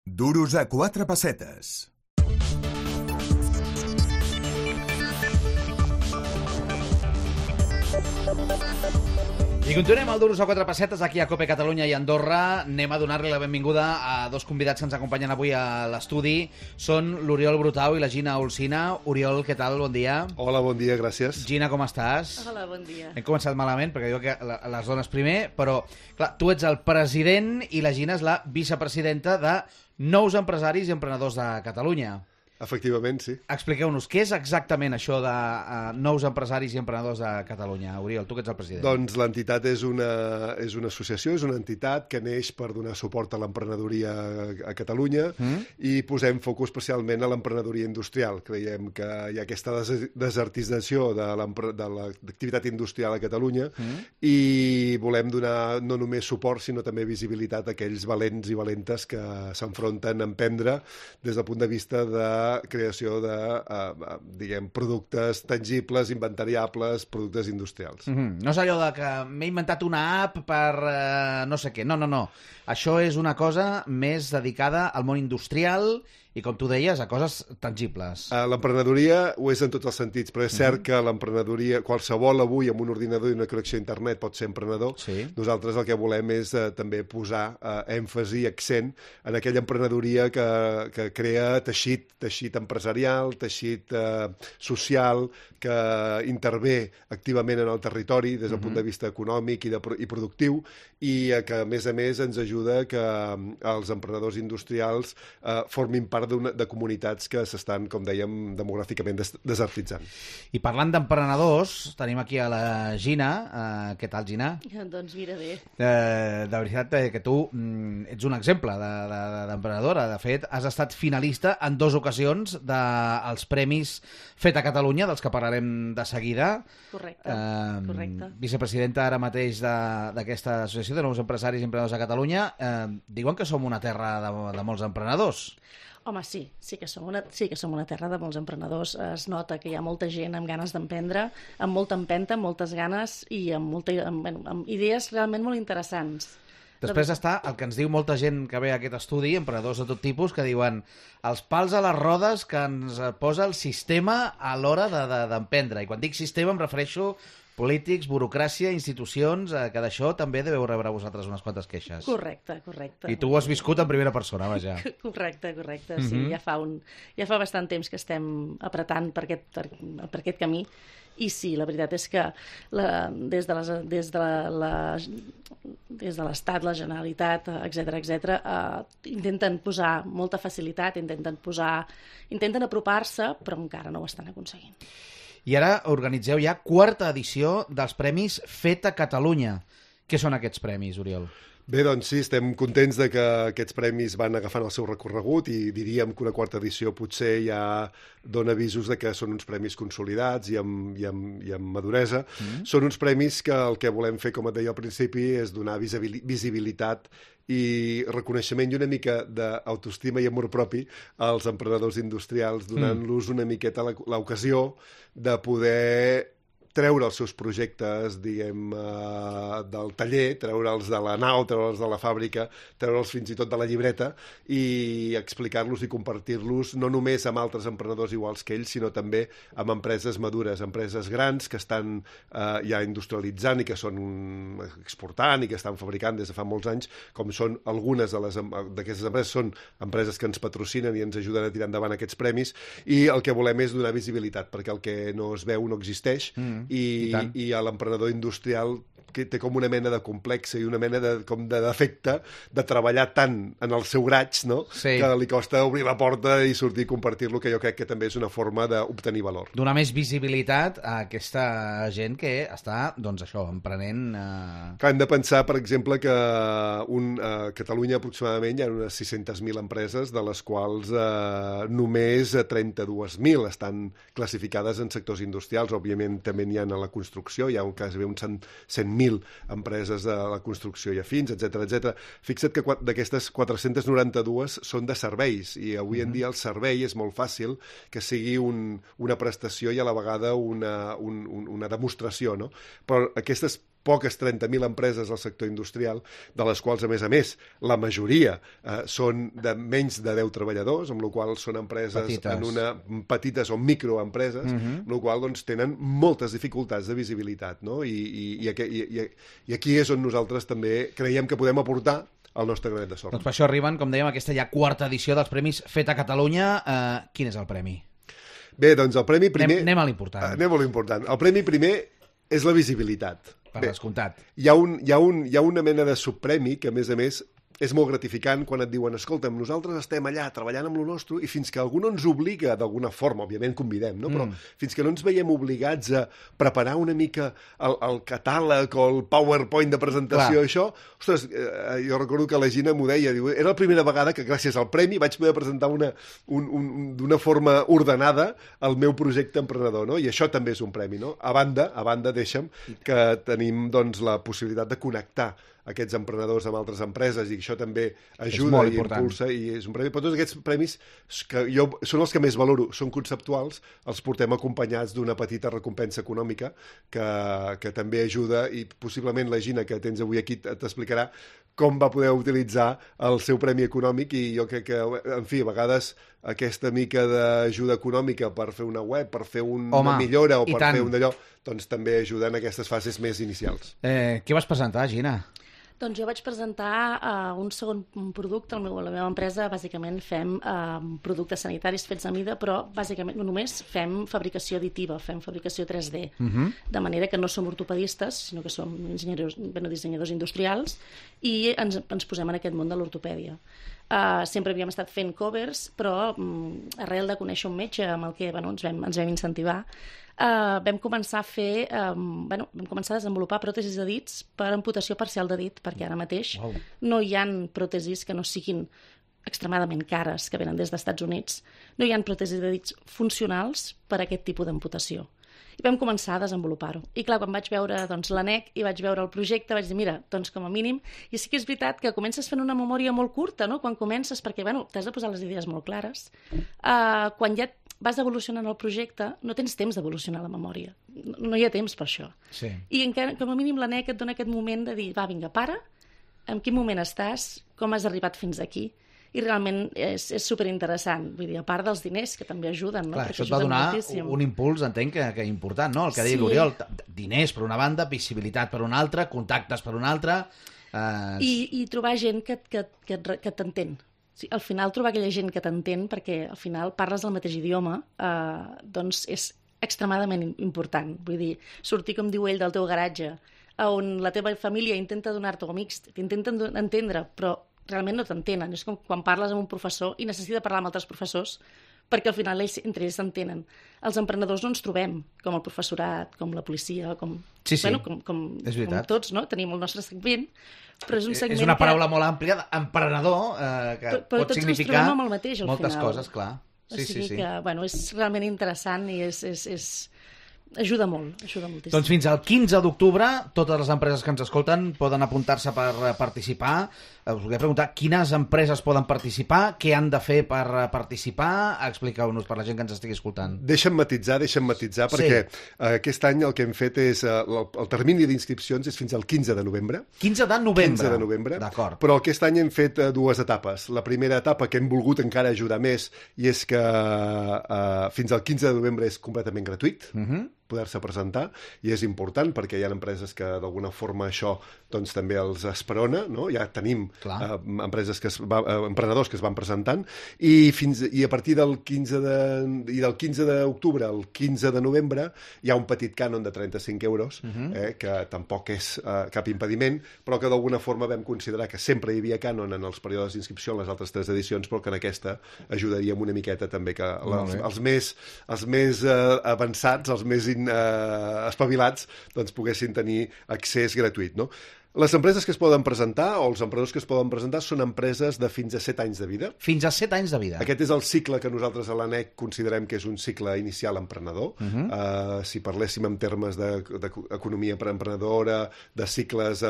Duros a 4 pessetes. I continuem al Duros a 4 pessetes aquí a Cope Catalunya i Andorra. Anem a donar-li la benvinguda a dos convidats que ens acompanyen avui a l'estudi. Són l'Oriol Brutau i la Gina Olsina. Oriol, què tal? Bon dia. Hola, bon dia, gràcies. Gina, com estàs? Hola, bon dia. Hem començat malament perquè diu que les dones primer, però clar, tu ets el president i la Gina és la vicepresidenta de Nous Empresaris i Emprenedors de Catalunya. Efectivament, sí. Expliqueu-nos, què és exactament això de Nous Empresaris i Emprenedors de Catalunya? Oriol, tu que ets el president. Doncs l'entitat és una associació, és una entitat que neix per donar suport a l'emprenedoria a Catalunya i posem focus especialment a l'emprenedoria industrial. Creiem que hi ha aquesta desertització de l'activitat industrial a Catalunya i volem donar no només suport, sinó també visibilitat a aquells valents i valentes que s'enfronten a emprendre des del punt de vista de creació de, productes tangibles, inventariables, productes industrials. No és allò de que m'he inventat una app per no sé què. No. Això és una cosa més dedicada al món industrial i, com tu deies, a coses tangibles. L'emprenedoria ho és en tots els sentits, però és cert que l'emprenedoria, qualsevol avui amb un ordinador i una connexió a internet pot ser emprenedor. Sí. Nosaltres el que volem és també posar èmfasi i accent en aquella emprenedoria que crea teixit empresarial, teixit social, que intervé activament en el territori des del punt de vista econòmic i productiu i que, a més, ens ajuda que els emprenedors industrials formin part de comunitats que s'estan, com dèiem, demogràficament desertitzant. I parlant d'emprenedors, tenim aquí a la Gina. Què tal, Gina? Doncs mira, bé. De veritat que tu ets un exemple d'emprenedora. De fet, has estat finalista en 2 ocasions dels Premis Fet a Catalunya, dels que parlarem de seguida. Correcte. Vicepresidenta ara mateix d'aquesta associació de nous empresaris i emprenedors de Catalunya. Diuen que som una terra de molts emprenedors. Home, sí que som una terra de molts emprenedors. Es nota que hi ha molta gent amb ganes d'emprendre, amb molta empenta, amb moltes ganes i amb idees realment molt interessants. Després està el que ens diu molta gent que ve a aquest estudi, emprenedors de tot tipus, que diuen els pals a les rodes que ens posa el sistema a l'hora d'emprendre. I quan dic sistema em refereixo polítics, burocràcia, institucions, que d'això també deveu rebre vosaltres unes quantes queixes. Correcte. I tu ho has viscut en primera persona, vaja. Correcte, sí. Ja fa bastant temps que estem apretant per aquest camí. I sí, la veritat és que des de l'Estat, la Generalitat, etc., intenten posar molta facilitat, intenten apropar-se, però encara no ho estan aconseguint. I ara organitzeu ja 4ª edició dels Premis Fet a Catalunya. Què són aquests premis, Oriol? Bé, doncs sí, estem contents de que aquests premis van agafant el seu recorregut i diríem que una 4ª edició potser ja dona avisos de que són uns premis consolidats i amb maduresa. Són uns premis que el que volem fer, com et deia al principi, és donar visibilitat i reconeixement i una mica d'autoestima i amor propi als emprenedors industrials, donant-los una miqueta l'ocasió de poder treure els seus projectes, diguem, del taller, treure'ls de la nau, treure'ls de la fàbrica, treure'ls fins i tot de la llibreta i explicar-los i compartir-los no només amb altres emprenedors iguals que ells, sinó també amb empreses madures, empreses grans que estan ja industrialitzant i que són exportant i que estan fabricant des de fa molts anys, com són algunes d'aquestes empreses, són empreses que ens patrocinen i ens ajuden a tirar endavant aquests premis, i el que volem és donar visibilitat, perquè el que no es veu no existeix, i a l'emprenedor industrial que té com una mena de complexe i una mena de defecte de treballar tant en el seu graig, no? Sí. Que li costa obrir la porta i sortir i compartir-lo, que jo crec que també és una forma d'obtenir valor. Donar més visibilitat a aquesta gent que està, doncs això, emprenent... Clar, hem de pensar, per exemple, que a Catalunya aproximadament hi ha unes 600.000 empreses, de les quals només 32.000 estan classificades en sectors industrials. Òbviament també n'hi ha a la construcció, hi ha quasi uns 100.000 empreses de la construcció i afins, etc. Fixa't que d'aquestes 492 són de serveis, i avui en dia el servei és molt fàcil que sigui una prestació i a la vegada una demostració, no? Però aquestes poques 30.000 empreses al sector industrial, de les quals, a més, la majoria són de menys de 10 treballadors, amb la qual són empreses petites o microempreses, amb la qual doncs, tenen moltes dificultats de visibilitat, no? I aquí és on nosaltres també creiem que podem aportar el nostre granet de sorra. Doncs per això arriben, com dèiem, aquesta ja quarta edició dels Premis Fet a Catalunya. Quin és el premi? Bé, doncs el premi primer... Anem a l'important. Anem a l'important. El premi primer és la visibilitat. Per descomptat. Hi ha una mena de subpremi que, a més, és molt gratificant quan et diuen, escolta'm, nosaltres estem allà treballant amb lo nostre i fins que algú no ens obliga d'alguna forma, òbviament convidem, no? Però fins que no ens veiem obligats a preparar una mica el catàleg o el PowerPoint de presentació, això, ostres, jo recordo que la Gina m'ho deia, diu, era la primera vegada que gràcies al premi vaig poder presentar d'una forma ordenada el meu projecte emprenedor, no? I això també és un premi, no? A banda, deixa'm, que tenim doncs, la possibilitat de connectar aquests emprenedors amb altres empreses i això també ajuda i impulsa i és un premi. Però tots aquests premis que són els que més valoro, són conceptuals, els portem acompanyats d'una petita recompensa econòmica que també ajuda i possiblement la Gina que tens avui aquí t'explicarà com va poder utilitzar el seu premi econòmic i jo crec que, en fi, a vegades aquesta mica d'ajuda econòmica per fer una web, per fer una millora o per fer un d'allò, doncs també ajuda en aquestes fases més inicials. Què vas presentar, Gina? Doncs jo vaig presentar un segon producte. La meva empresa, bàsicament, fem productes sanitaris fets a mida, però bàsicament només fem fabricació additiva, fem fabricació 3D. De manera que no som ortopedistes, sinó que som dissenyadors industrials i ens posem en aquest món de l'ortopèdia. Sempre havíem estat fent covers, però arrel de conèixer un metge amb el que ens vam incentivar, vam començar a desenvolupar pròtesis de dits per amputació parcial de dit, perquè ara mateix no hi ha pròtesis que no siguin extremadament cares, que venen des dels Estats Units, no hi ha pròtesis de dits funcionals per a aquest tipus d'amputació. I vam començar a desenvolupar-ho. I clar, quan vaig veure l'ANEC i vaig veure el projecte, vaig dir, mira, doncs com a mínim, i sí que és veritat que comences fent una memòria molt curta, no?, quan comences, perquè, t'has de posar les idees molt clares. Quan ja vas evolucionant el projecte, no tens temps d'evolucionar la memòria. No hi ha temps per això. Sí. I com a mínim l'ANEC et dona aquest moment de dir, va, vinga, para, en quin moment estàs, com has arribat fins aquí, i realment és superinteressant. Vull dir, a part dels diners, que també ajuden, no? Clar, això et va donar un impuls, entenc, que important, no? El que deia l'Oriol, diners per una banda, visibilitat per una altra, contactes per una altra... I trobar gent que t'entén. Al final, trobar aquella gent que t'entén, perquè al final parles el mateix idioma, doncs és extremadament important. Vull dir, sortir, com diu ell, del teu garatge, on la teva família intenta donar-te, o amics, t'intenten entendre, però realment no t'entenen. És com quan parles amb un professor i necessita parlar amb altres professors perquè al final entre ells s'entenen. Els emprenedors no ens trobem com el professorat, com la policia, com tots, no? Tenim el nostre segment, però és un segment és una paraula molt àmplia, emprenedor, que pot significar moltes coses, clar. O sigui que, és realment interessant i ajuda molt, ajuda moltíssim. Doncs fins al 15 d'octubre, totes les empreses que ens escolten poden apuntar-se per participar. Us volia preguntar quines empreses poden participar, què han de fer per participar. Expliqueu-nos per la gent que ens estigui escoltant. Deixa'm matisar, perquè aquest any el que hem fet és... El termini d'inscripcions és fins al 15 de novembre. 15 de novembre? 15 de novembre. D'acord. Però aquest any hem fet dues etapes. La primera etapa que hem volgut encara ajudar més i és que fins al 15 de novembre és completament gratuït. Poder-se presentar, i és important perquè hi ha empreses que d'alguna forma això doncs també els esperona, no? Ja tenim empreses emprenedors que es van presentant i a partir del 15 d'octubre al 15 de novembre hi ha un petit cànon de 35 euros que tampoc és cap impediment, però que d'alguna forma vam considerar que sempre hi havia cànon en els períodes d'inscripció en les altres 3 edicions, però que en aquesta ajudaríem una miqueta també que els més avançats, els més espavilats, doncs poguessin tenir accés gratuït, no? Les empreses que es poden presentar, o els emprenedors que es poden presentar, són empreses de fins a 7 anys de vida. Fins a 7 anys de vida. Aquest és el cicle que nosaltres a l'ANEC considerem que és un cicle inicial emprenedor. Si parléssim en termes d'economia emprenedora, de cicles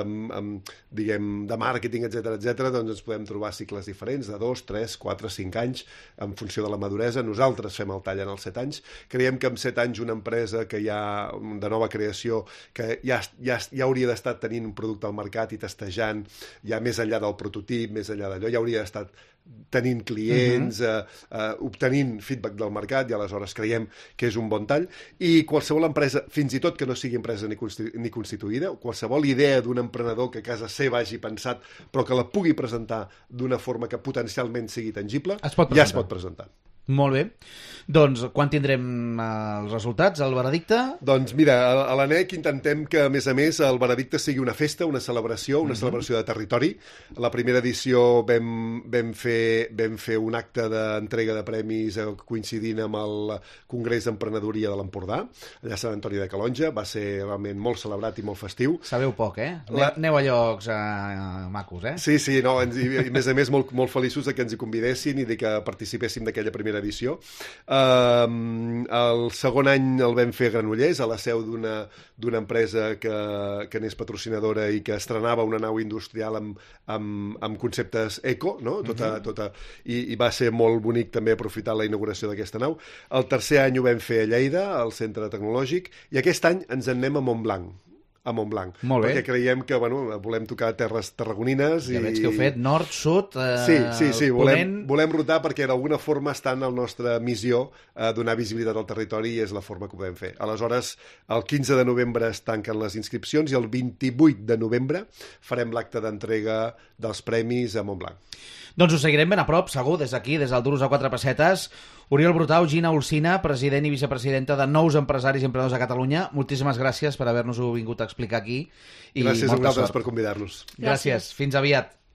diguem, de màrqueting, etc, doncs ens podem trobar cicles diferents, de 2, 3, 4, 5 anys, en funció de la maduresa. Nosaltres fem el tall en els 7 anys. Creiem que en 7 anys una empresa que ja de nova creació, que ja hauria d'estar tenint un producte al mercat i testejant, ja més enllà del prototip, més enllà d'allò, ja hauria d'estar tenint clients, obtenint feedback del mercat, i aleshores creiem que és un bon tall. I qualsevol empresa, fins i tot que no sigui empresa ni constituïda, qualsevol idea d'un emprenedor que a casa seva hagi pensat, però que la pugui presentar d'una forma que potencialment sigui tangible, ja es pot presentar. Molt bé. Doncs quan tindrem els resultats, el veredicte? Doncs mira, a l'ANEC intentem que, a més, el veredicte sigui una festa, una celebració de territori. A la primera edició vam fer un acte d'entrega de premis coincidint amb el Congrés d'Emprenedoria de l'Empordà, allà a Sant Antoni de Calonja. Va ser realment molt celebrat i molt festiu. Sabeu poc, eh? Aneu a llocs macos, eh? Sí, no, i a més molt feliços que ens hi convidessin i que participéssim d'aquella primera edició. El segon any el vam fer a Granollers, a la seu d'una empresa que n'és patrocinadora i que estrenava una nau industrial amb conceptes eco, no? I va ser molt bonic també aprofitar la inauguració d'aquesta nau. El tercer any ho vam fer a Lleida, al Centre Tecnològic, i aquest any ens en anem a Montblanc. Molt bé. Perquè creiem que volem tocar terres tarragonines. Ja veig que heu fet nord, sud, sí, ponent... volem rotar perquè d'alguna forma està en la nostra missió donar visibilitat al territori, i és la forma que ho podem fer. Aleshores, el 15 de novembre es tanquen les inscripcions i el 28 de novembre farem l'acte d'entrega dels premis a Montblanc. Doncs ho seguirem ben a prop, segur, des d'aquí, des del Duros a 4 pessetes. Oriol Brutau, Gina Olcina, president i vicepresidenta de Nous Empresaris i Emprenedors de Catalunya. Moltíssimes gràcies per haver-nos-ho vingut a explicar aquí. Gràcies a vosaltres per convidar-nos. Gràcies. Fins aviat.